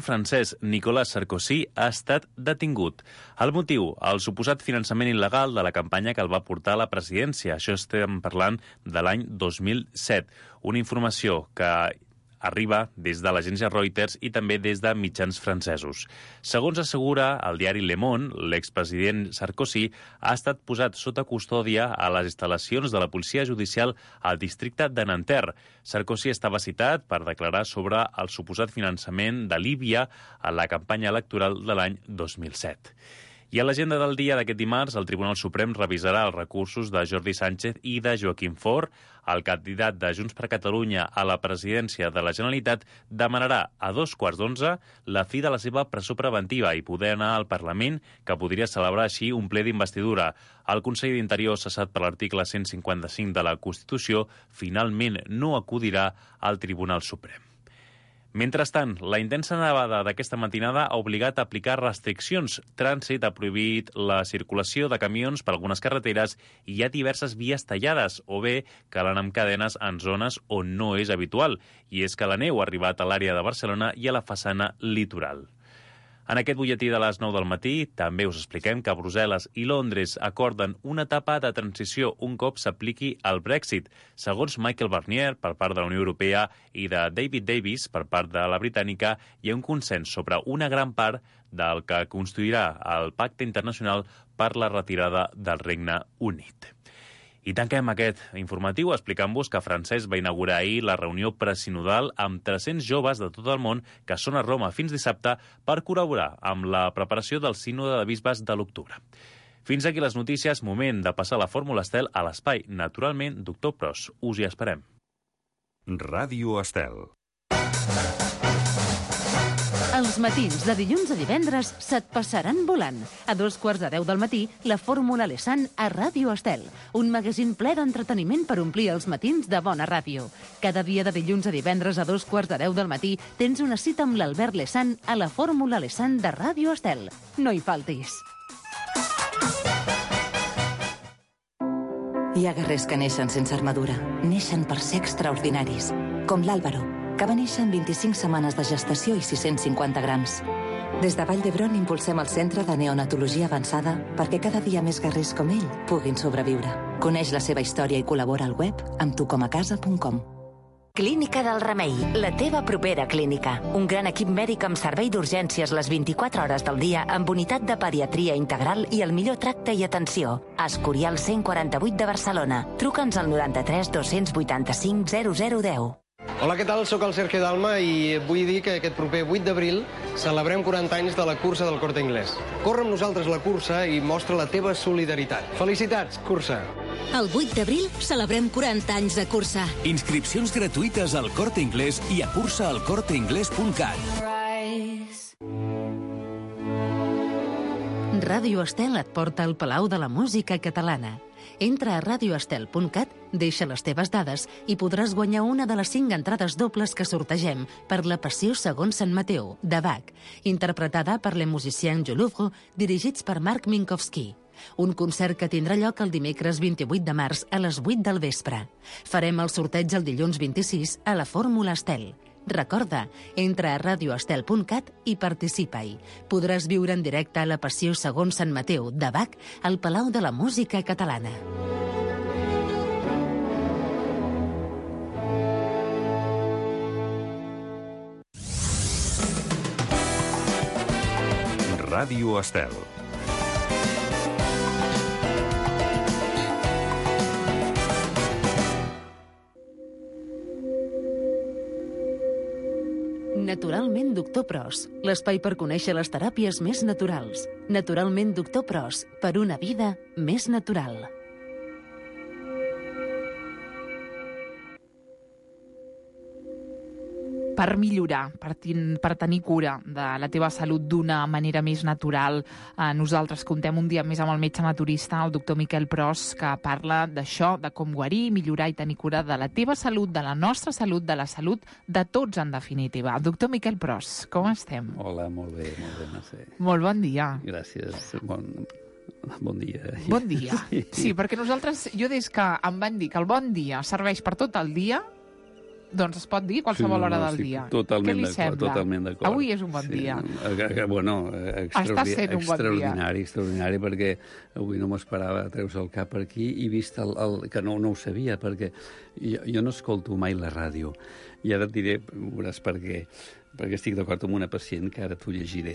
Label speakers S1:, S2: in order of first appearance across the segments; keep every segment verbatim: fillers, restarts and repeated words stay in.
S1: francès Nicolas Sarkozy ha estat detingut. El motiu, el suposat finançament il·legal de la campanya que el va portar a la presidència. Això estem parlant de l'any dos mil set. Una informació que arriba des de l'agència Reuters i també des de mitjans francesos. Segons assegura el diari Le Monde, l'expresident Sarkozy ha estat posat sota custòdia a les instal·lacions de la policia judicial al districte de Nanterre. Sarkozy estava citat per declarar sobre el suposat finançament de Líbia a la campanya electoral de l'any dos mil set. I a l'agenda del dia d'aquest dimarts, el Tribunal Suprem revisarà els recursos de Jordi Sánchez i de Joaquim Forn. El candidat de Junts per Catalunya a la presidència de la Generalitat demanarà a dos quarts d'onze la fi de la seva presó preventiva i poder anar al Parlament, que podria celebrar així un ple d'investidura. El conseller d'Interior, cessat per l'article cent cinquanta-cinc de la Constitució, finalment no acudirà al Tribunal Suprem. Mentrestant, la intensa nevada d'aquesta matinada ha obligat a aplicar restriccions. Trànsit ha prohibit la circulació de camions per algunes carreteres i hi ha diverses vies tallades, o bé que l'anem amb cadenes en zones on no és habitual. I és que la neu ha arribat a l'àrea de Barcelona i a la façana litoral. En aquest butlletí de les nou del matí també us expliquem que Brussel·les i Londres acorden una etapa de transició un cop s'apliqui el Brexit. Segons Michael Barnier, per part de la Unió Europea, i de David Davis, per part de la britànica, hi ha un consens sobre una gran part del que construirà el Pacte Internacional per la retirada del Regne Unit. I tanquem aquest informatiu explicant-vos que Francesc va inaugurar ahir la reunió presinodal amb tres-cents joves de tot el món que són a Roma fins dissabte per col·laborar amb la preparació del sínode de bisbes de l'octubre. Fins aquí les notícies, moment de passar la Fórmula Estel a l'espai. Naturalment, doctor Pros, us hi esperem.
S2: Ràdio Estel.
S3: Els matins de dilluns a divendres se't passaran volant. A dos quarts de deu del matí, la Fórmula Lesan a Ràdio Estel, un magazín ple d'entreteniment per omplir els matins de bona ràdio. Cada dia de dilluns a divendres a dos quarts de deu del matí tens una cita amb l'Albert Lesan a la Fórmula Lesan de Ràdio Estel. No hi faltis.
S4: Hi ha guerrers que neixen sense armadura. Neixen per ser extraordinaris, com l'Àlvaro, que va néixer amb vint-i-cinc setmanes de gestació i sis-cents cinquanta grams. Des de Vall d'Hebron impulsem el Centre de Neonatologia Avançada perquè cada dia més guerrers com ell puguin sobreviure. Coneix la seva història i col·labora al web amb tucomacasa punt com.
S5: Clínica del Remei, la teva propera clínica. Un gran equip mèdic amb servei d'urgències les vint-i-quatre hores del dia amb unitat de pediatria integral i el millor tracte i atenció. Escorial cent quaranta-vuit de Barcelona. Truca'ns al noranta-tres dos-cents vuitanta-cinc zero zero deu.
S6: Hola, què tal? Soc el Sergio Dalma i vull dir que aquest proper vuit d'abril celebrem quaranta anys de la cursa del Corte Inglés. Corre amb nosaltres la cursa i mostra la teva solidaritat. Felicitats, cursa!
S7: El vuit d'abril celebrem quaranta anys de cursa.
S8: Inscripcions gratuïtes al Corte Inglés i a cursa al corte inglés punt cat.
S3: Ràdio Estel et porta al Palau de la Música Catalana. Entra a radio estel punt cat, deixa les teves dades i podràs guanyar una de les cinc entrades dobles que sortegem per La Passió segons Sant Mateu, de Bach, interpretada per Le Musicien du Louvre, dirigits per Marc Minkowski. Un concert que tindrà lloc el dimecres vint-i-vuit de març a les vuit del vespre. Farem el sorteig el dilluns vint-i-sis a la Fórmula Estel. Recorda, entra a radio estel punt cat i participa-hi. Podràs viure en directe a La Passió segons Sant Mateu, de Bach, al Palau de la Música Catalana.
S2: Ràdio Estel.
S3: Naturalment Doctor Pros, l'espai per conèixer les teràpies més naturals. Naturalment Doctor Pros, per una vida més natural.
S9: Per millorar, per, ten, per tenir cura de la teva salut d'una manera més natural. Eh, nosaltres comptem un dia més amb el metge naturista, el doctor Miquel Pros, que parla d'això, de com guarir, millorar i tenir cura de la teva salut, de la nostra salut, de la salut de tots, en definitiva. Doctor Miquel Pros, com estem?
S10: Hola, molt bé, molt bé, no sé.
S9: Molt bon dia.
S10: Gràcies, bon, bon dia.
S9: Bon dia, sí. Sí, perquè nosaltres, jo des que em van dir que el bon dia serveix per tot el dia, Doncs es pot dir qualsevol
S10: sí,
S9: hora
S10: no,
S9: del
S10: sí,
S9: dia.
S10: Totalment
S9: Què li
S10: d'acord,
S9: sembla?
S10: totalment d'acord.
S9: Avui és un bon
S10: sí,
S9: dia.
S10: Eh, bueno,
S9: Està sent un bon dia.
S10: extraordinari, extraordinari, perquè avui no m'esperava treure el cap per aquí i vist el, el, que no, no ho sabia, perquè jo, jo no escolto mai la ràdio. I ara et diré, veuràs per què, perquè estic d'acord amb una pacient, que ara t'ho llegiré,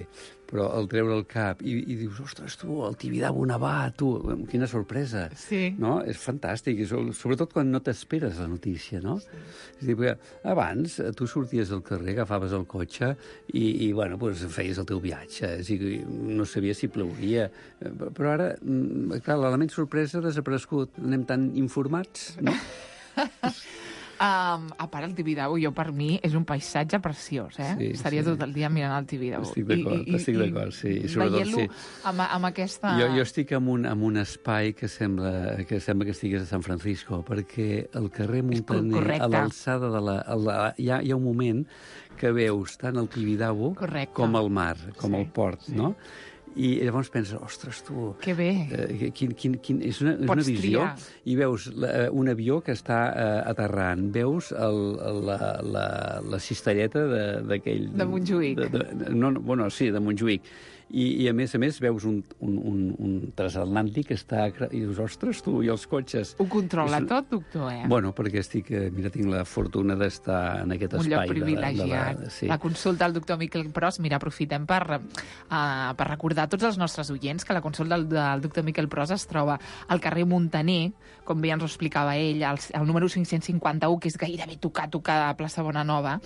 S10: però al treure el cap i, i dius, ostres, tu, el Tibidabo nevat, tu, quina sorpresa.
S9: Sí.
S10: No? És fantàstic, i sobretot quan no t'esperes la notícia, no? Sí. És a dir, perquè abans tu sorties al carrer, agafaves el cotxe i, i bueno, doncs feies el teu viatge, és a dir, no sabies si plauria, però ara, clar, l'element sorpresa ha desaparegut, anem tan informats, no?
S9: Um, a part, el Tibidabo, jo per mi, és un paisatge preciós, eh?
S10: Sí,
S9: Estaria
S10: sí.
S9: tot el dia mirant el Tibidabo.
S10: Estic d'acord, estic d'acord, sí.
S9: Veient-lo sí. amb, amb aquesta...
S10: Jo, jo estic en un, en un espai que sembla, que sembla que estigués a San Francisco, perquè el carrer Muntaner, a l'alçada de la... A la hi, ha, hi ha un moment que veus tant el Tibidabo
S9: Correcte.
S10: com el mar, com
S9: sí,
S10: el port, sí. no? I llavors penses, ostres, tu...
S9: Que bé.
S10: Eh, quin, quin, quin, és una, és
S9: Pots
S10: una visió.
S9: triar.
S10: I veus la, un avió que està eh, aterrant. Veus el, la, la, la cistelleta d'aquell...
S9: De, de Montjuïc.
S10: De, de, no, no, bueno, sí, de Montjuïc. I, i a més a més veus un, un, un, un transatlàntic que està... I dius, ostres, tu, i els cotxes...
S9: Ho controla
S10: és...
S9: tot, doctor, eh?
S10: Bueno, perquè estic... Mira, tinc la fortuna d'estar en aquest
S9: un
S10: espai.
S9: Un lloc privilegiat.
S10: De la, de la, sí.
S9: la consulta al doctor Miquel Pros, mira, aprofitem per, uh, per recordar a tots els nostres oients que la consulta del, del doctor Miquel Pros es troba al carrer Muntaner, com bé ens ho explicava ell, el, el número cinc-cents cinquanta-u, que és gairebé tocar, tocar a plaça Bonanova.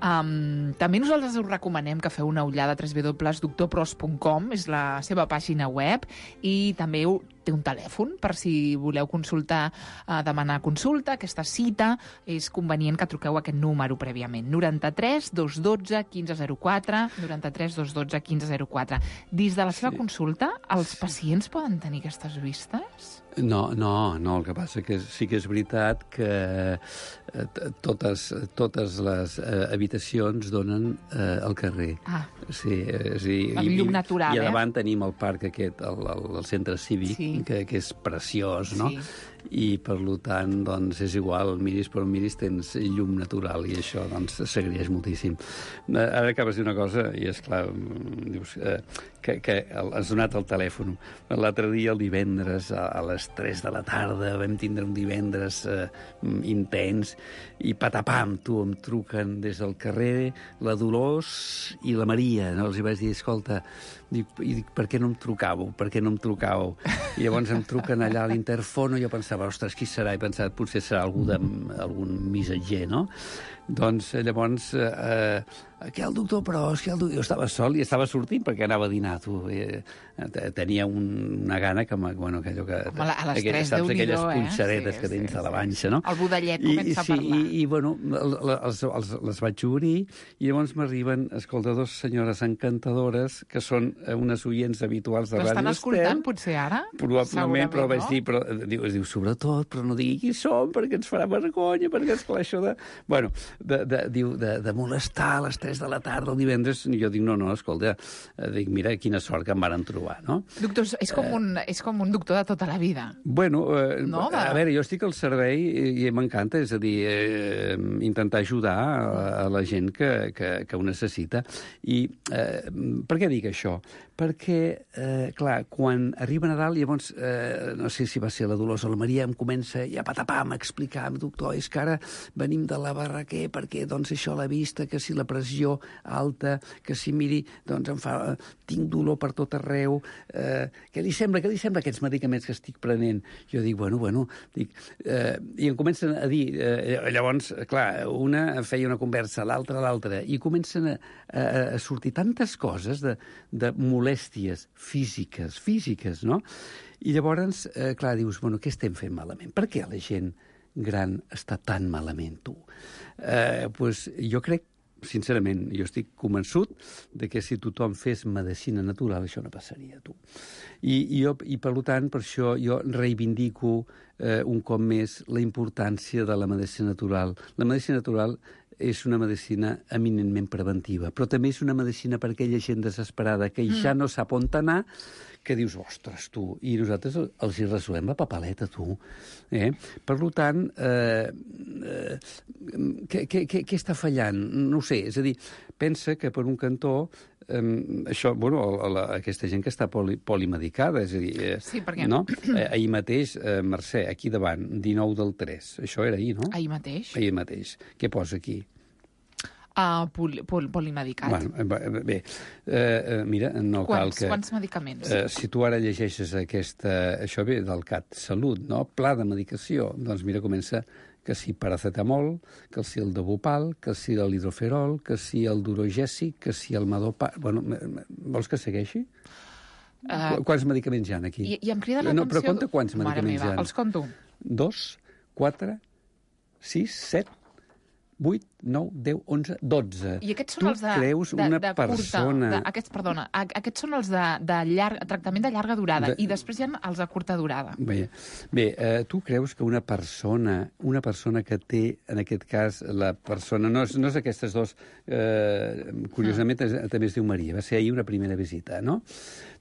S9: Um, també nosaltres us recomanem que feu una ullada a w w w punt doctor pros punt com, és la seva pàgina web, i també té un telèfon per si voleu consultar, eh, demanar consulta, aquesta cita. És convenient que truqueu aquest número prèviament. noranta-tres dos dotze quinze zero quatre, noranta-tres dos dotze quinze zero quatre. Dins de la seva sí. consulta, els pacients poden tenir aquestes vistes?
S10: No, no, no, el que passa que sí que és veritat que eh, totes, totes les eh, habitacions donen eh, al carrer.
S9: Ah.
S10: Sí, és a dir,
S9: amb llum natural,
S10: i, i a davant
S9: eh?
S10: tenim el parc aquest, el, el, el centre cívic, sí. que, que és preciós, no? Sí. I, per tant, doncs, és igual, miris per on miris, tens llum natural, i això, doncs, s'agraeix moltíssim. Ara acabes de dir una cosa, i és clar, dius, eh, que, que has donat el telèfon. L'altre dia, el divendres, a, a les tres de la tarda, vam tindre un divendres eh, intens, i patapam, tu, em truquen des del carrer la Dolors i la Maria, no? Els hi vaig dir, escolta, dic, i dic, per què no em trucàveu? Per què no em trucàveu? I llavors em truquen allà a l'interfono, i jo pensava, ostres, qui serà? I pensava, potser serà algú de, algun missatger, no? Doncs llavors, eh, aquí el doctor Pros, que el doctor... Jo estava sol i estava sortint perquè anava a dinar, tu. Eh, tenia un, una gana que, bueno, que allò que...
S9: Home, a les
S10: aquelles,
S9: tres,
S10: saps,
S9: Déu-n'hi-do,
S10: aquelles
S9: eh?
S10: punxaretes
S9: sí,
S10: que tens
S9: sí,
S10: a la vanxa, no?
S9: El budellet
S10: I,
S9: comença
S10: sí,
S9: a parlar.
S10: I, i bueno, els, els, els vaig obrir, i llavors m'arriben, escolta, dos senyores encantadores, que són unes oients habituals de Ràdio Estel.
S9: L'estan escoltant, potser, ara?
S10: Probablement, però vaig
S9: no?
S10: dir, però, diu, es diu, sobretot, però no digui qui som, perquè ens farà vergonya, perquè, esclar, això de... Bueno, de, de, diu, de, de molestar a les tres de la tarda el divendres, i jo dic, no, no, escolta, dic, mira, quina sort que em varen trobar, no?
S9: Doctor, és com, un, és com un doctor de tota la vida.
S10: Bueno, eh,
S9: no,
S10: a veure, jo estic al servei i, i m'encanta, és a dir, eh, intentar ajudar a, a la gent que, que, que ho necessita. I eh, per què dic això? Perquè, eh, clar, quan arriba Nadal, llavors, eh, no sé si va ser la Dolors o la Maria, em comença ja patapam a explicar, doctor, és que ara venim de la Barraquer perquè, doncs, això a la vista, que si la pressió alta, que si, miri, doncs, em fa, tinc dolor per tot arreu, eh, què li sembla, què li sembla aquests medicaments que estic prenent? Jo dic, bueno, bueno, dic, eh, i em comencen a dir, eh, llavors, clar, una feia una conversa, l'altra, l'altra, i comencen a, a, a sortir tantes coses de, de molèsties físiques, físiques, no? I llavors, eh, clar, dius, bueno, què estem fent malament? Per què la gent gran està tan malament, tu? Eh, pues, jo crec, sincerament, jo estic convençut de que si tothom fes medicina natural, això no passaria, tu. I, i, jo, i per tant, per això jo reivindico eh, un cop més la importància de la medicina natural. La medicina natural és una medicina eminentment preventiva, però també és una medicina per aquella gent desesperada que mm. ja no sap on anar, que dius, ostres, tu, i nosaltres els hi resolem la papaleta, tu. Eh? Per tant, eh, eh, què, què, què, què està fallant? No ho sé, és a dir, pensa que per un cantó eh, això, bueno, la, aquesta gent que està poli, polimedicada, és a dir... Eh,
S9: sí, perquè...
S10: No? Eh, ahir mateix, eh, Mercè, aquí davant, dinou del tres, això era ahir, no?
S9: Ahir mateix.
S10: Ahir mateix. Què posa aquí?
S9: Uh, pol, pol, polimedicat.
S10: Bueno, bé, eh, mira, no
S9: quants,
S10: cal que...
S9: Quants medicaments?
S10: Eh, si tu ara llegeixes aquesta... Això ve del CatSalut, no? Pla de medicació. Doncs mira, comença que si paracetamol, que si el Debupal, que si l'hidroferol, que si el durogèsic, que si el Madopar... Bueno, vols que segueixi? Uh, quants medicaments hi ha aquí?
S9: I, i em crida l'atenció...
S10: No, però compta quants medicaments
S9: meva,
S10: hi ha.
S9: Els conto.
S10: Dos, quatre, sis, set, vuit, nou, deu, onze, dotze.
S9: I aquests són
S10: tu
S9: els de,
S10: creus
S9: de,
S10: una
S9: de
S10: persona...
S9: curta... De, aquests, perdona, aquests són els de, de llarg, tractament de llarga durada,
S10: de...
S9: i després hi ha els de curta durada.
S10: Bé, bé eh, tu creus que una persona, una persona que té, en aquest cas, la persona... No és, no és aquestes dos, eh, curiosament, mm. també es diu Maria, va ser ahir una primera visita, no?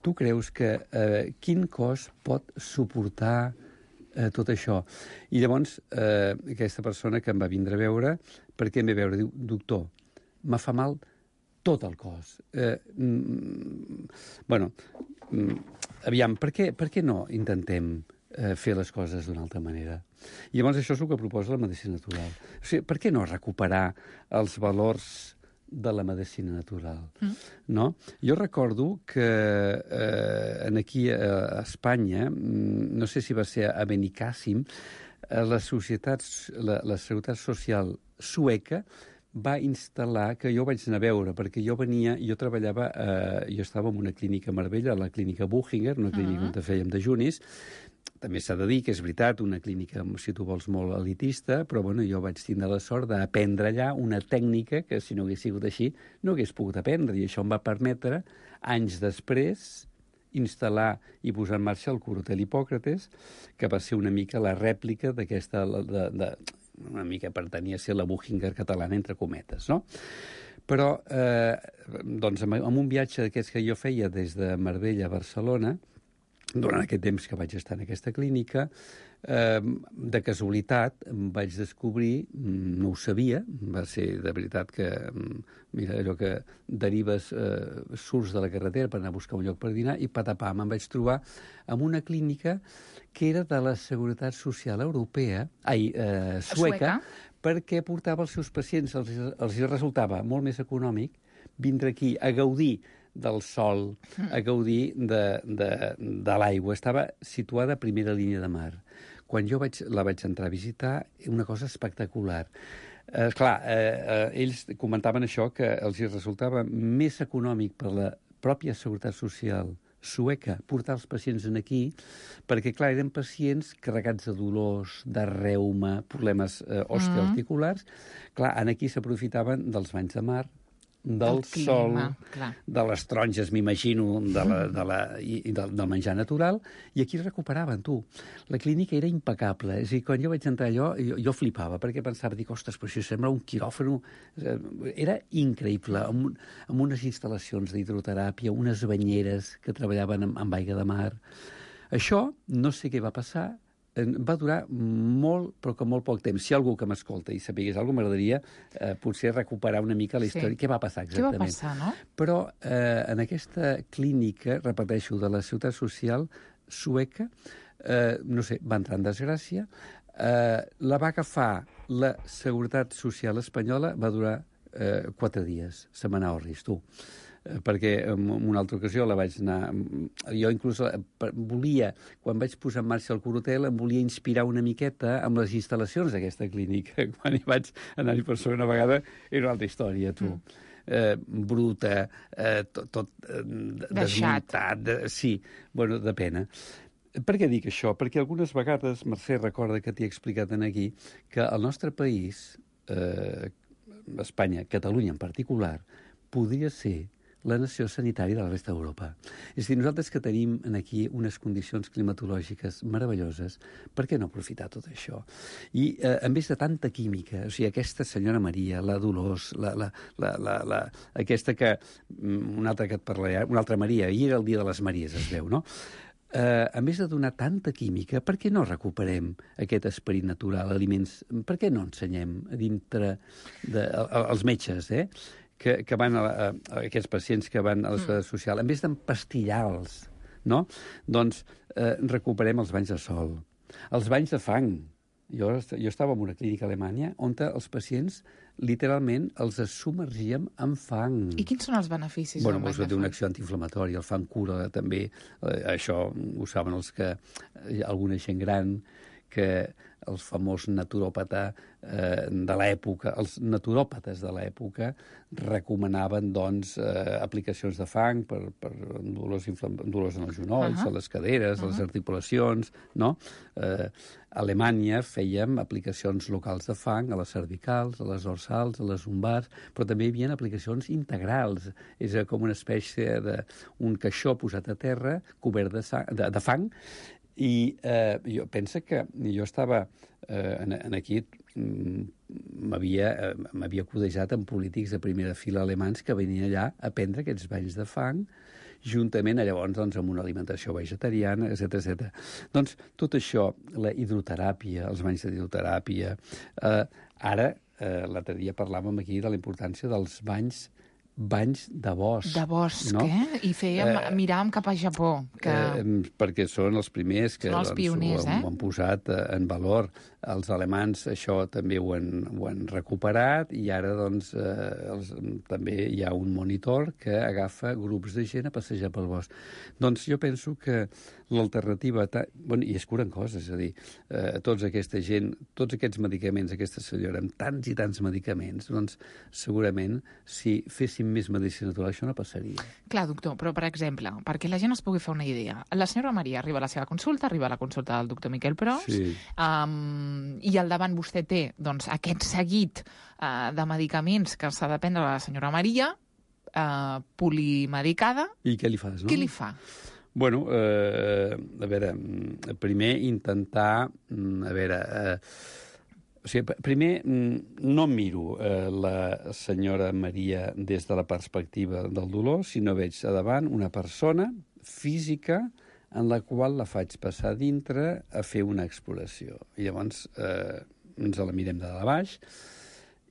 S10: Tu creus que eh, quin cos pot suportar eh, tot això? I llavors, eh, aquesta persona que em va vindre a veure, per què em ve a veure? Diu, doctor, me fa mal tot el cos. Eh, mm, bueno, mm, aviam, per què, per què no intentem eh, fer les coses d'una altra manera? I llavors això és el que proposa la medicina natural. O sigui, per què no recuperar els valors de la medicina natural? Mm. No? Jo recordo que eh, aquí a Espanya, no sé si va ser a Benicàssim, la societat, la, la seguretat social sueca va instal·lar, que jo vaig anar a veure, perquè jo venia, jo treballava, eh, jo estava en una clínica a Marbella, la clínica Buchinger, una clínica uh -huh. on fèiem dejunis. També s'ha de dir que és veritat, una clínica, si tu vols, molt elitista, però bueno, jo vaig tindre la sort d'aprendre allà una tècnica que, si no hagués sigut així, no hagués pogut aprendre, i això em va permetre, anys després, instal·lar i posar en marxa el Curotel Hipòcrates, que va ser una mica la rèplica d'aquesta... De, de, una mica pertanyia a ser la Buchinger catalana, entre cometes, no? Però, eh, doncs, amb, amb un viatge d'aquests que jo feia des de Marbella a Barcelona, durant aquest temps que vaig estar en aquesta clínica, eh, de casualitat vaig descobrir, no ho sabia, va ser de veritat que, mira, allò que derives, eh, surts de la carretera per anar a buscar un lloc per dinar, i patapam, em vaig trobar en una clínica que era de la Seguretat Social Europea, ai, eh, sueca, sueca, perquè portava els seus pacients, els, els resultava molt més econòmic vindre aquí a gaudir del sol, a gaudir de, de, de l'aigua. Estava situada a primera línia de mar. Quan jo vaig, la vaig entrar a visitar, una cosa espectacular. Eh, clar, eh, eh, ells comentaven això, que els resultava més econòmic per la pròpia Seguretat Social sueca portar els pacients en aquí, perquè, clar, eren pacients carregats de dolors, de reuma, problemes eh, osteoarticulars. Mm. Clar, en aquí s'aprofitaven dels banys de mar, del sol, clar, de les taronges, m'imagino, de la, de la, i, i del, del menjar natural, i aquí es recuperaven, tu. La clínica era impecable. És a dir, quan jo vaig entrar allò, jo, jo flipava, perquè pensava, dic, ostres, però això sembla un quiròfano. Era increïble, amb, amb unes instal·lacions d'hidroteràpia, unes banyeres que treballaven amb, amb aigua de mar. Això, no sé què va passar, va durar molt, però que molt poc temps. Si hi ha algú que m'escolta i sapigués alguna cosa, m'agradaria eh, potser recuperar una mica la història. Sí. Què va passar exactament?
S9: Què va passar, no?
S10: Però eh, en aquesta clínica, repeteixo, de la Ciutat Social sueca, eh, no sé, va entrar en desgràcia, eh, la va agafar la Seguretat Social espanyola, va durar eh, quatre dies, se m'anà orris, tu. Perquè en una altra ocasió la vaig anar... Jo inclús volia, quan vaig posar en marxa el Curotel, em volia inspirar una miqueta amb les instal·lacions d'aquesta clínica. Quan hi vaig anar-hi per segona vegada, era una altra història, tu. Mm. Eh, bruta, eh, tot, tot eh, desmuntat, de, sí, bueno, de pena. Per què dic això? Perquè algunes vegades, Mercè, recorda que t'hi he explicat aquí, que el nostre país, eh, Espanya, Catalunya en particular, podria ser la nació sanitària de la resta d'Europa. És a dir, nosaltres que tenim aquí unes condicions climatològiques meravelloses, per què no aprofitar tot això? I eh, en vez de tanta química, o sigui, aquesta senyora Maria, la Dolors, la, la, la, la, la, aquesta que, una altra que et parlaré, una altra Maria, ahir era el dia de les Maries, es veu, no? Eh, a més de donar tanta química, per què no recuperem aquest esperit natural, aliments? Per què no ensenyem a dintre de, a, als metges, eh? Que, que van a, a, a aquests pacients que van a la seguretat social, en vez d'empastillar-los, no? Doncs eh, recuperem els banys de sol, els banys de fang. Jo, jo estava en una clínica a Alemanya on els pacients literalment els submergíem en fang.
S9: I quins són els beneficis?
S10: Bueno, doncs té una acció antiinflamatori, el fang cura també, eh, això ho saben els que, eh, alguna gent gran, que els famós naturòpata eh, de l'època, els naturòpates de l'època recomanaven, doncs, eh, aplicacions de fang per, per dolors, dolors en els genolls, uh -huh. a les caderes, uh -huh. a les articulacions, no? Eh, a Alemanya fèiem aplicacions locals de fang a les cervicals, a les dorsals, a les lumbars, però també hi havia aplicacions integrals. És com una espècie d'un caixó posat a terra, cobert de, sang, de, de fang. I eh, jo penso que jo estava eh, en, en aquí, m'havia eh, codejat amb polítics de primera fila alemans que venien allà a prendre aquests banys de fang, juntament llavors doncs, amb una alimentació vegetariana, etcètera etcètera. Doncs tot això, la hidroteràpia, els banys de hidroteràpia, eh, ara, eh, l'altre dia parlàvem aquí de la importància dels banys banys de bosc.
S9: De bosc,
S10: no?
S9: eh? I fèiem, eh, miràvem cap a Japó. Que...
S10: Eh, perquè són els primers que
S9: són els pioners,
S10: doncs, ho,
S9: eh?
S10: ho han posat eh, en valor. Els alemans això també ho han, ho han recuperat i ara doncs, eh, els, també hi ha un monitor que agafa grups de gent a passejar pel bosc. Doncs jo penso que l'alternativa... Bueno, i es curen coses, és a dir, eh, tota aquesta gent, tots aquests medicaments, aquesta senyora, amb tants i tants medicaments, doncs segurament si féssim més medicina natural, això no passaria.
S9: Clar, doctor, però per exemple, perquè la gent es pugui fer una idea, la senyora Maria arriba a la seva consulta, arriba a la consulta del doctor Miquel Pros,
S10: sí.
S9: um, i al davant vostè té doncs, aquest seguit uh, de medicaments que s'ha de prendre la senyora Maria, uh, polimedicada.
S10: I què li fas, no?
S9: Què li fa?
S10: Bueno, eh, a veure, primer intentar, a veure... Eh, O sigui, primer, no miro eh, la senyora Maria des de la perspectiva del dolor, sinó veig a davant una persona física en la qual la faig passar dintre a fer una exploració. I llavors eh, ens la mirem de dalt a baix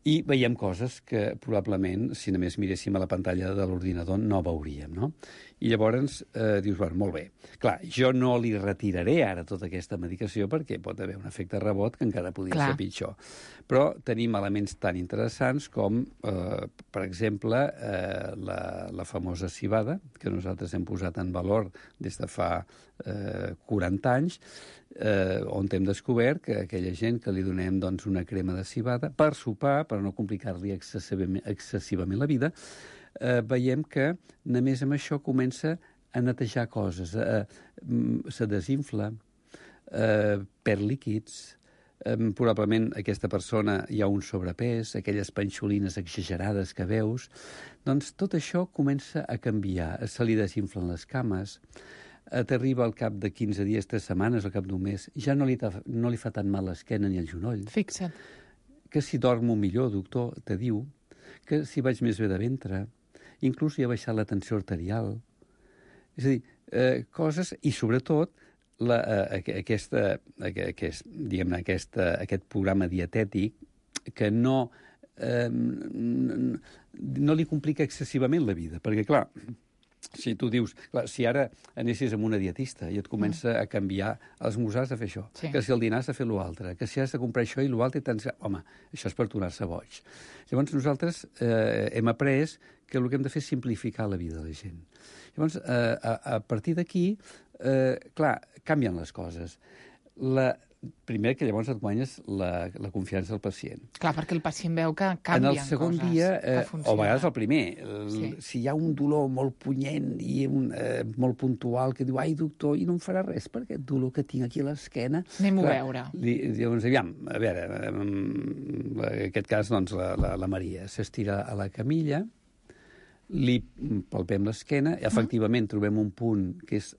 S10: i veiem coses que probablement, si només miréssim a la pantalla de l'ordinador, no veuríem, no? I llavors eh, dius, bueno, molt bé. Clar, jo no li retiraré ara tota aquesta medicació perquè pot haver un efecte rebot que encara podria
S9: Clar.
S10: ser pitjor. Però tenim elements tan interessants com, eh, per exemple, eh, la, la famosa civada, que nosaltres hem posat en valor des de fa eh, quaranta anys, eh, on hem descobert que aquella gent que li donem doncs, una crema de civada per sopar, per no complicar-li excessivament, excessivament la vida, eh, veiem que només amb això comença a netejar coses, eh, se desinfla, eh, perd líquids, eh, probablement aquesta persona hi ha un sobrepès, aquelles panxolines exagerades que veus, doncs tot això comença a canviar, se li desinflen les cames, t'arriba al cap de quinze dies, tres setmanes, al cap d'un mes, ja no li, no li fa tan mal l'esquena ni el genoll.
S9: Fixa't.
S10: Que si dormo millor, doctor, te diu, que si vaig més bé de ventre, inclús hi ha baixat la tensió arterial. És a dir, eh, coses, i sobretot, la, eh, aquesta, aquest, diguem-ne, aquesta, aquest programa dietètic que no, eh, no li complica excessivament la vida, perquè, clar, si tu dius, clar, si ara anessis amb una dietista i et comença mm. a canviar, a l'esmorzar has de fer això, sí. que si el dinar has de fer l'altre, que si has de comprar això i l'altre, tens... home, això és per tornar-se boig. Llavors nosaltres eh, hem après que el que hem de fer és simplificar la vida de la gent. Llavors, eh, a, a partir d'aquí, eh, clar, canvien les coses. La, primer, que llavors et guanyes la, la confiança del pacient.
S9: Clar, perquè el pacient veu que canvien coses.
S10: En el segon
S9: coses
S10: dia, eh, o a vegades el primer, el,
S9: sí.
S10: si hi ha un dolor molt punyent i un, eh, molt puntual que diu, ai, doctor, i no em farà res per aquest dolor que tinc aquí a l'esquena.
S9: Anem-ho a veure.
S10: Li, llavors, aviam, a veure, en aquest cas, doncs, la, la, la Maria s'estira a la camilla, li palpem l'esquena, efectivament trobem un punt que és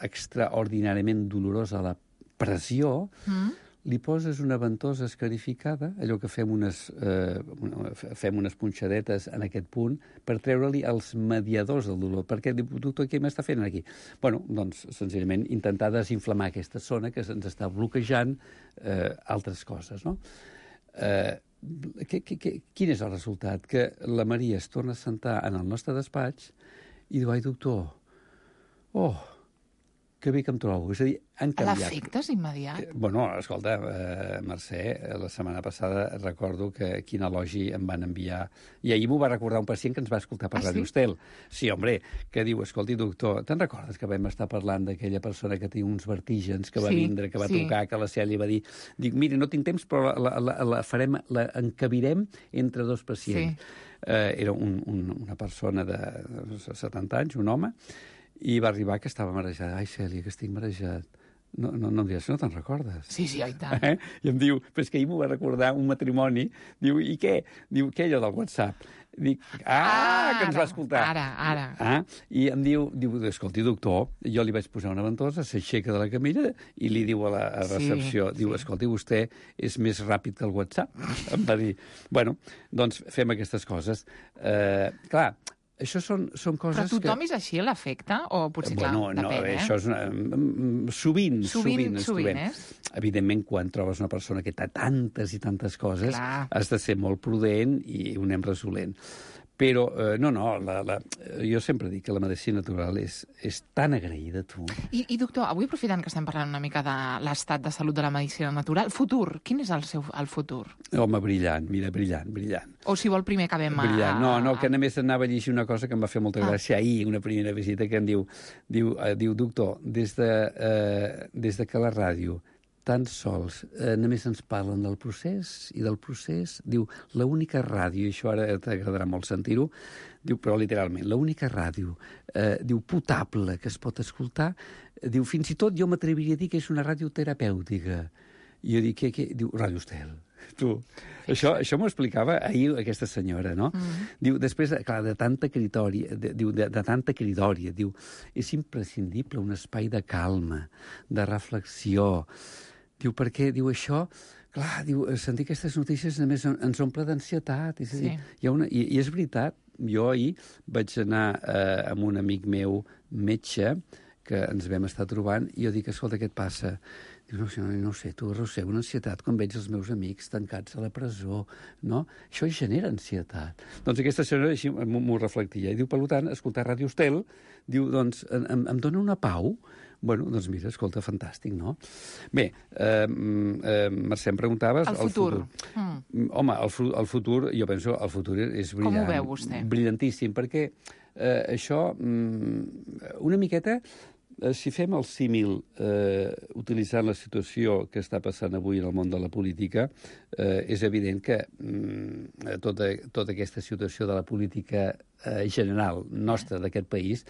S10: extraordinàriament dolorós a la pressió, mm. li poses una ventosa escarificada, allò que fem unes, eh, fem unes punxadetes en aquest punt, per treure-li els mediadors del dolor. Perquè, doctor, què m'està fent aquí? Bueno, doncs, senzillament, intentar desinflamar aquesta zona que ens està bloquejant eh, altres coses, no? Eh, que, que, que, quin és el resultat? Que la Maria es torna a sentar en el nostre despatx i diu, ai, doctor, oh, que bé que em trobo. És a dir, han canviat.
S9: L'efecte és immediat?
S10: Eh, bueno, escolta, eh, Mercè, la setmana passada recordo que quin elogi em van enviar. I ahir m'ho va recordar un pacient que ens va escoltar per ah, Ràdio Estel. Sí? Sí, home, que diu, escolti, doctor, te'n recordes que vam estar parlant d'aquella persona que té uns vertígens, que va sí, vindre, que va sí. trucar, que la Cèlia va dir... Dic, mira, no tinc temps, però la, la, la, farem, la encabirem entre dos pacients. Sí. Eh, era un, un, una persona de setanta anys, un home, i va arribar que estava marejat. Ai, Cèlia, que estic marejat. No, no, no em diràs, no te'n recordes?
S9: Sí, sí, i tant.
S10: Eh? I em diu, però és que ahir m'ho va recordar un matrimoni. Diu, i què? Diu, què allò del WhatsApp? Dic, ah, ah que ens va escoltar.
S9: Ara, ara.
S10: Ah, I em diu, diu, escolti, doctor, jo li vaig posar una ventosa, s'aixeca de la camilla i li diu a la a recepció, sí, diu, sí. escolti, vostè és més ràpid que el WhatsApp. Em va dir, bueno, doncs fem aquestes coses. Eh, clar, això són, són coses que...
S9: Però tothom que... és així, l'efecte? O potser, clar,
S10: bueno, no,
S9: depèn, eh?
S10: Això és una... Sovint, sovint, sovint,
S9: sovint és.
S10: Evidentment, quan trobes una persona que té tantes i tantes coses, clar. Has de ser molt prudent i ho anem resolent. Però, eh, no, no, la, la, jo sempre dic que la medicina natural és, és tan agraïda, tu.
S9: I, I, doctor, avui aprofitant que estem parlant una mica de l'estat de salut de la medicina natural, futur, quin és el seu el futur?
S10: Home, brillant, mira, brillant, brillant.
S9: O si vol primer acabem a...
S10: Brillant, no, no, que només anava a llegir una cosa que em va fer molta gràcia ah. ahir, una primera visita, que em diu, diu, eh, diu doctor, des de, eh, des de que la ràdio tan sols eh, només ens parlen del procés i del procés. Diu, l'única ràdio, i això ara t'agradarà molt sentir-ho, diu, però literalment, l'única ràdio, eh, diu, potable que es pot escoltar, diu, fins i tot jo m'atreviria a dir que és una ràdio terapèutica. I jo dic, què, què? Diu, Ràdio Estel. Tu, això, això m'ho explicava ahir aquesta senyora, no? Mm. Diu, després, clar, de tanta cridòria, de, diu, de, de tanta cridòria, diu, és imprescindible un espai de calma, de reflexió. Diu, perquè, diu, això, clar, diu, sentir aquestes notícies només ens omple d'ansietat. És a dir, sí. hi ha una, i, I és veritat, jo ahir vaig anar eh, amb un amic meu metge, que ens vam estar trobant, i jo dic, escolta, què et passa? Diu, no, no, no sé, tu arrossego una ansietat quan veig els meus amics tancats a la presó, no? Això genera ansietat. Doncs aquesta senyora així m'ho reflectia. I diu, per tant, escoltar Ràdio Estel, diu, doncs, em, em dona una pau. Bueno, doncs mira, escolta, fantàstic, no? Bé, eh, eh, Mercè, em preguntaves...
S9: El futur. El futur.
S10: Mm. Home, el, el futur, jo penso, el futur és brillant.
S9: Com ho veu vostè?
S10: Brillantíssim, perquè eh, això, mm, una miqueta... Si fem el símil eh, utilitzant la situació que està passant avui en el món de la política, eh, és evident que mm, tota, tota aquesta situació de la política eh, general nostra d'aquest país,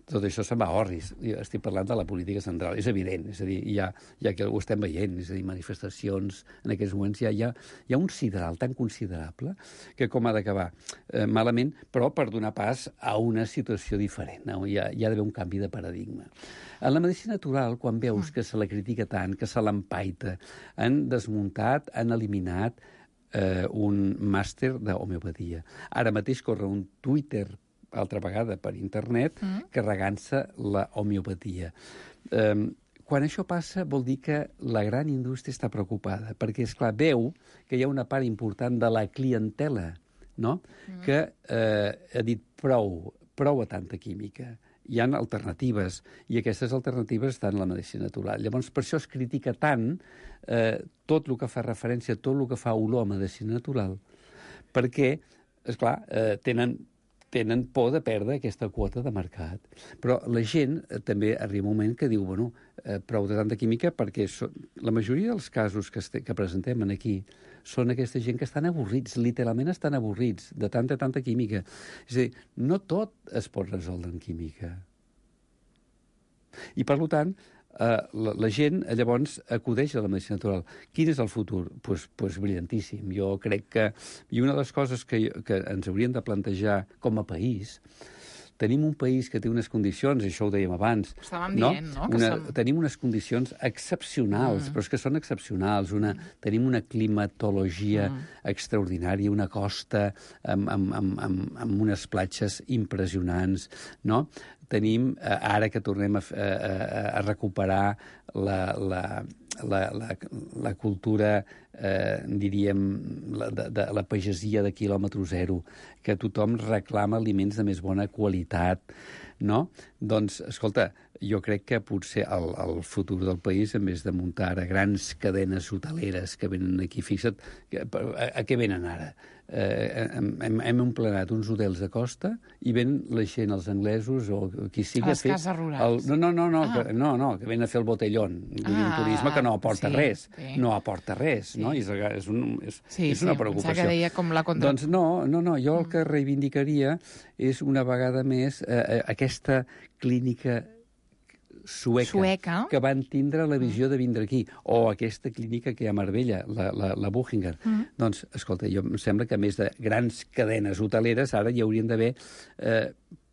S10: tot això se'n va a orris. Estic parlant de la política central. És evident, és a dir, ja, ja que ho estem veient, és a dir, manifestacions, en aquests moments ja hi ha, hi ha un sideral tan considerable que com ha d'acabar eh, malament, però per donar pas a una situació diferent. No? Hi ha, hi ha d'haver un canvi de paradigma. En la medicina natural, quan veus que se la critica tant, que se l'empaita, han desmuntat, han eliminat eh, un màster d'homeopatia. Ara mateix corre un Twitter, altra vegada per internet, mm. carregant-se la homeopatia. Eh, quan això passa vol dir que la gran indústria està preocupada, perquè, esclar, veu que hi ha una part important de la clientela, no? Mm. que eh, ha dit prou, prou a tanta química. Hi ha alternatives, i aquestes alternatives estan en la medicina natural. Llavors, per això es critica tant eh, tot el que fa referència, tot el que fa olor a medicina natural, perquè, esclar, eh, tenen tenen por de perdre aquesta quota de mercat. Però la gent eh, també arriba un moment que diu, bueno, eh, prou de tanta química, perquè so, la majoria dels casos que, este, que presentem aquí són aquesta gent que estan avorrits, literalment estan avorrits de tanta, tanta química. És a dir, no tot es pot resoldre en química. I, per tant, Uh, la, la gent, llavors, acudeix a la medicina natural. Quin és el futur? Doncs pues, pues brillantíssim. Jo crec que... I una de les coses que, que ens hauríem de plantejar com a país... Tenim un país que té unes condicions, i això ho dèiem abans...
S9: Estàvem
S10: no?
S9: dient, no?
S10: Una,
S9: som...
S10: Tenim unes condicions excepcionals, mm. però és que són excepcionals. Una, mm. Tenim una climatologia mm. extraordinària, una costa amb, amb, amb, amb, amb unes platges impressionants, no? Tenim, ara que tornem a, a, a recuperar la, la, la, la, la cultura, eh, diríem, la, de, de la pagesia de quilòmetre zero, que tothom reclama aliments de més bona qualitat, no? Doncs, escolta, jo crec que potser el, el futur del país, en vez de muntar ara grans cadenes hoteleres que venen aquí, fixa't, a, a què venen ara? Eh, hem, hem emplenat uns hotels de costa i ven la gent, els anglesos o qui sigui...
S9: Les cases rurals.
S10: El, no, no, no,
S9: ah.
S10: que, no, no, que ven a fer el botellón. Ah, un turisme que no aporta
S9: sí,
S10: res.
S9: Sí.
S10: No aporta res, sí. No? I és, és, un, és,
S9: sí,
S10: és una
S9: sí,
S10: preocupació.
S9: Que deia com la contra...
S10: Doncs no, no, no, jo el que reivindicaria és una vegada més eh, aquesta clínica sueca,
S9: sueca,
S10: que van tindre la visió de vindre aquí, o aquesta clínica que hi ha a Marbella, la, la, la Buchinger. Mm. Doncs, escolta, jo em sembla que a més de grans cadenes hoteleres, ara hi haurien d'haver eh,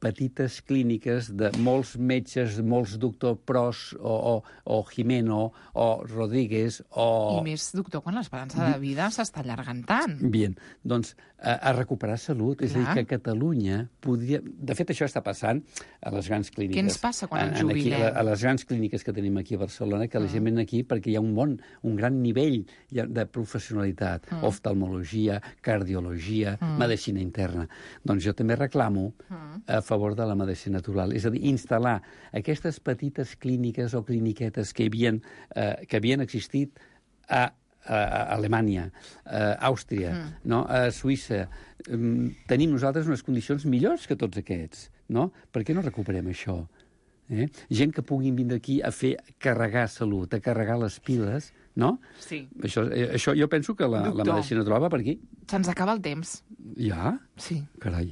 S10: petites clíniques de molts metges, molts doctor Pros o, o, o Jimeno o Rodríguez o...
S9: I més, doctor, quan l'esperança de vida s'està allargant tant.
S10: Bien, doncs a, a recuperar salut. Clar. És a dir, que Catalunya podria... De fet, això està passant a les grans clíniques.
S9: Què ens passa quan ens jubilem?
S10: Aquí, a, a les grans clíniques que tenim aquí a Barcelona, que la gent ven aquí perquè hi ha un bon, un gran nivell de professionalitat. Mm. Oftalmologia, cardiologia, mm. medicina interna. Doncs jo també reclamo mm. a favor de la medicina natural. És a dir, instal·lar aquestes petites clíniques o cliniquetes que havien, eh, que havien existit a a Alemanya, a Àustria, mm. no? A Suïssa. Um, tenim nosaltres unes condicions millors que tots aquests, no? Per què no recuperem això? Eh? Gent que puguin vindre aquí a fer carregar salut, a carregar les piles, no?
S9: Sí.
S10: Això, això jo penso que la, la medicina natural va per aquí.
S9: Se'ns acaba el temps.
S10: Ja?
S9: Sí.
S10: Carai.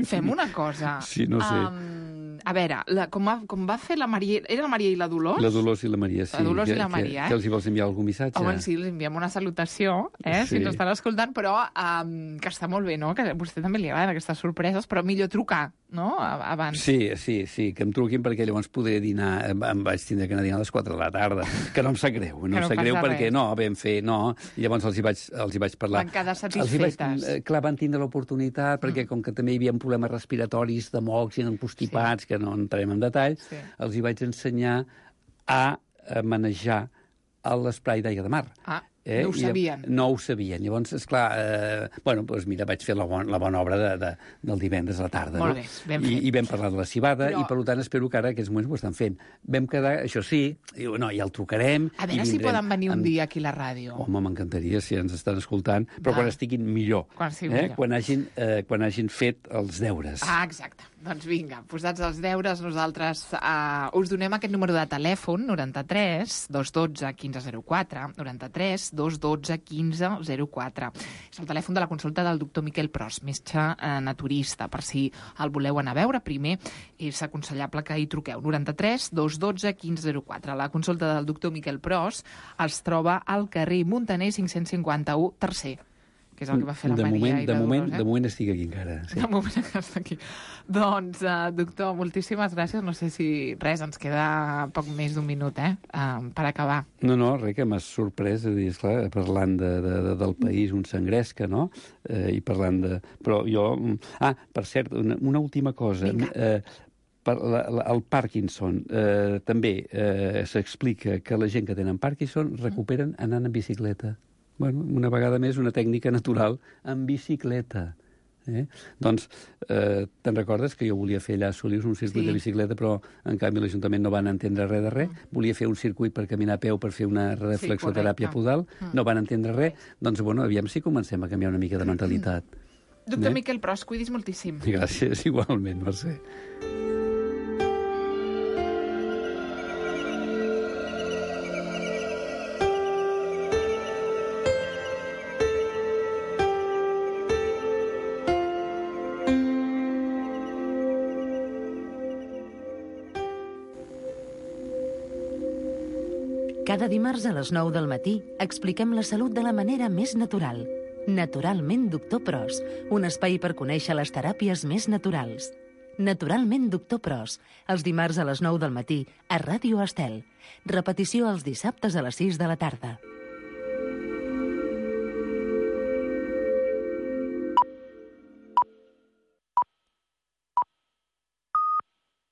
S9: Fem una cosa.
S10: Sí, no sé. Um,
S9: a veure, la, com, va, com va fer la Maria... Era la Maria i la Dolors?
S10: La Dolors i la Maria, sí.
S9: La Dolors
S10: que,
S9: i la Maria,
S10: que,
S9: eh?
S10: Que els hi vols enviar algun missatge?
S9: Home, sí, els enviem una salutació, eh? Sí. Si ens estan escoltant, però um, que està molt bé, no? Que a vostè també li agraden aquestes sorpreses, però millor trucar, no? Abans.
S10: Sí, sí, sí, que em truquin perquè llavors podré dinar... Em vaig tindre que anar a dinar a les quatre de la tarda, que no em sap greu, no em sap greu perquè no, vam fer, no, i llavors els hi vaig, els hi vaig parlar.
S9: Van quedar satisfetes.
S10: Vaig, clar, van tindre l'oportunitat, perquè com que també hi havia problemes respiratoris de mocs i constipats, sí. Que no entrarem en detall, sí. Els hi vaig ensenyar a manejar l'esprai d'aigua de mar.
S9: Ah, eh? No ho sabien.
S10: I, no ho sabien. Llavors, esclar, eh, bueno, doncs mira, vaig fer la, bon, la bona obra de, de, del divendres a la tarda.
S9: Molt
S10: no?
S9: bé, ben fet.
S10: I, I vam parlar de la cibada,
S9: Però...
S10: i per tant espero que ara aquests moments ho estan fent. Vam quedar, això sí, diu, no, ja el trucarem.
S9: A veure si poden venir un
S10: en...
S9: dia aquí a la ràdio.
S10: Home, m'encantaria si ens estan escoltant, però Va. quan estiguin millor.
S9: Quan, sí,
S10: eh?
S9: millor.
S10: Quan, hagin, eh, quan hagin fet els deures.
S9: Ah, exacte. Doncs vinga, posats els deures, nosaltres uh, us donem aquest número de telèfon, noranta-tres dos dotze quinze zero quatre, noranta-tres dos dotze quinze zero quatre. És el telèfon de la consulta del doctor Miquel Pros, metge uh, naturista. Per si el voleu anar a veure, primer és aconsellable que hi truqueu. noranta-tres dos dotze quinze zero quatre. La consulta del doctor Miquel Pros es troba al carrer Muntaner cinc-cents cinquanta-u, tercer, que és el que va fer la
S10: de
S9: Maria
S10: moment,
S9: i
S10: de
S9: la
S10: moment,
S9: Dolors, eh?
S10: De moment estic aquí encara. Sí.
S9: De moment està aquí. Doncs, uh, doctor, moltíssimes gràcies. No sé si res, ens queda poc més d'un minut, eh?, uh, per acabar.
S10: No, no, res, que m'has sorprès, és dir, esclar, parlant de, de, de, del país, un s'engresca, no?, eh, i parlant de... Però jo... Ah, per cert, una, una última cosa.
S9: Vinga.
S10: Eh, per la, la, el Parkinson, eh, també eh, s'explica que la gent que tenen Parkinson recuperen anant en bicicleta. Bueno, una vegada més, una tècnica natural en bicicleta. Eh? Doncs, eh, te'n recordes que jo volia fer allà a Solius un circuit sí. de bicicleta, però en canvi l'Ajuntament no van entendre res de res. Mm. Volia fer un circuit per caminar a peu per fer una reflexoteràpia sí, podal. Mm. No van entendre res. Doncs, bueno, aviam si comencem a canviar una mica de mentalitat.
S9: Mm. Doctor eh? Miquel Pros, cuidis moltíssim.
S10: Gràcies, igualment, Mercè.
S3: Cada dimarts a les nou del matí expliquem la salut de la manera més natural. Naturalment Doctor Pros, un espai per conèixer les teràpies més naturals. Naturalment Doctor Pros, els dimarts a les nou del matí a Ràdio Estel. Repetició els dissabtes a les sis de la tarda.